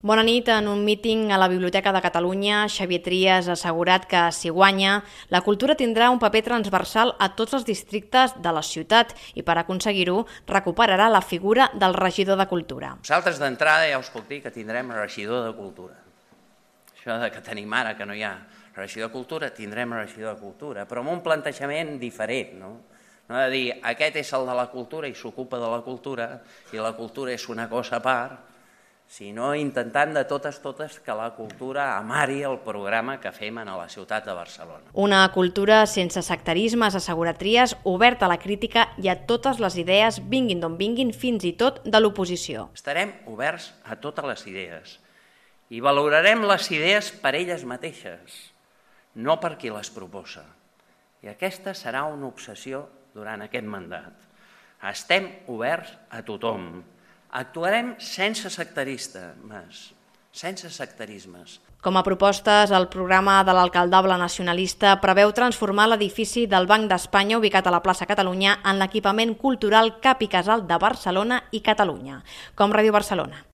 Bona nit. En un míting a la Biblioteca de Catalunya, Xavier Trias ha assegurat que, si guanya, la cultura tindrà un paper transversal a tots els districtes de la ciutat i, per aconseguir-ho, recuperarà la figura del regidor de Cultura. Nosaltres, d'entrada, ja us puc dir que tindrem regidor de Cultura. Això que tenim ara, que no hi ha regidor de Cultura, tindrem regidor de Cultura, però amb un plantejament diferent, no? No de dir, aquest és el de la cultura i s'ocupa de la cultura i la cultura és una cosa a part, sinó intentant de totes que la cultura amari el programa que fem a la ciutat de Barcelona. Una cultura sense sectarismes, assegura Trias, oberta a la crítica i a totes les idees, vinguin d'on vinguin, fins i tot de l'oposició. Estarem oberts a totes les idees i valorarem les idees per elles mateixes, no per qui les proposa. I aquesta serà una obsessió durant aquest mandat. Estem oberts a tothom. Actuarem sense sectarismes. Com a propostes, el programa de l'alcaldable nacionalista preveu transformar l'edifici del Banc d'Espanya ubicat a la plaça Catalunya en l'equipament cultural Cap i Casal de Barcelona i Catalunya. Com Ràdio Barcelona.